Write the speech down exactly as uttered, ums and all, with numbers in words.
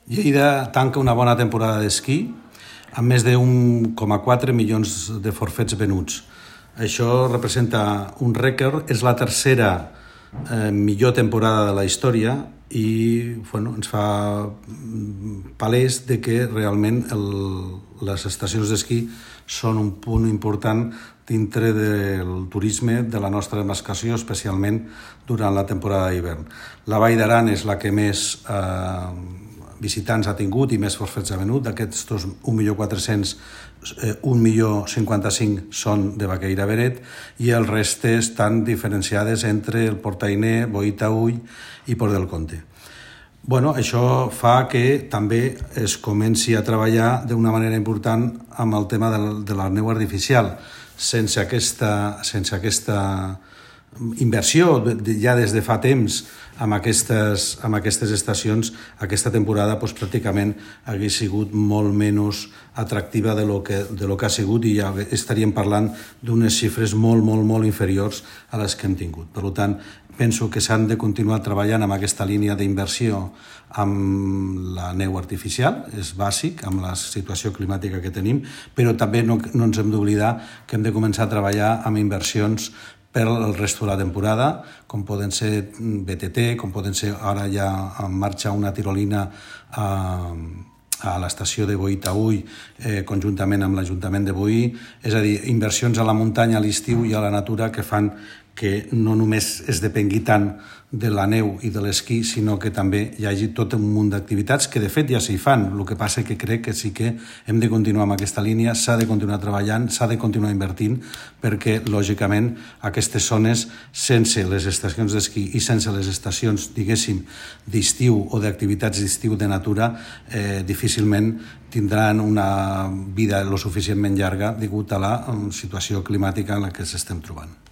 Lleida tanca una bona temporada d'esquí amb més d'un coma quatre milions de forfets venuts. Això representa un rècord, és la tercera eh, millor temporada de la història i bueno, ens fa palès de que realment el, les estacions d'esquí són un punt important dintre del turisme de la nostra demarcació, especialment durant la temporada d'hivern. La Vall d'Aran és la que més eh, visitants ha tingut i més forfets ha venut. D'aquests un milió quatre-cents, un milió cinquanta-cinc són de Baqueira Beret i el reste estan diferenciades entre el Portainer, Boí-Taüll i Port del Comte. Bueno, això fa que també es comenci a treballar d'una manera important amb el tema de la neu artificial. Sense aquesta, sense aquesta inversió ja des de fa temps amb aquestes, amb aquestes estacions, aquesta temporada doncs, pràcticament hagués sigut molt menys atractiva de lo que, de lo que ha sigut i ja estaríem parlant d'unes xifres molt, molt, molt inferiors a les que hem tingut. Per tant, penso que s'han de continuar treballant amb aquesta línia d'inversió amb la neu artificial, és bàsic amb la situació climàtica que tenim, però també no, no ens hem d'oblidar que hem de començar a treballar amb inversions per al resto de la temporada, com poden ser B T T, com poden ser ara ja en marxa una tirolina a, a l'estació de Boí-Taüll, eh, conjuntament amb l'Ajuntament de Boí, és a dir, inversions a la muntanya, a l'estiu i a la natura que fan que no només es depengui tant de la neu i de l'esquí, sinó que també hi hagi tot un munt d'activitats que de fet ja s'hi fan. El que passa que crec que sí que hem de continuar amb aquesta línia, s'ha de continuar treballant, s'ha de continuar invertint, perquè lògicament aquestes zones, sense les estacions d'esquí i sense les estacions, diguéssim, d'estiu o d'activitats d'estiu de natura, eh, difícilment tindran una vida lo suficientment llarga degut a la situació climàtica en la que s'estem trobant.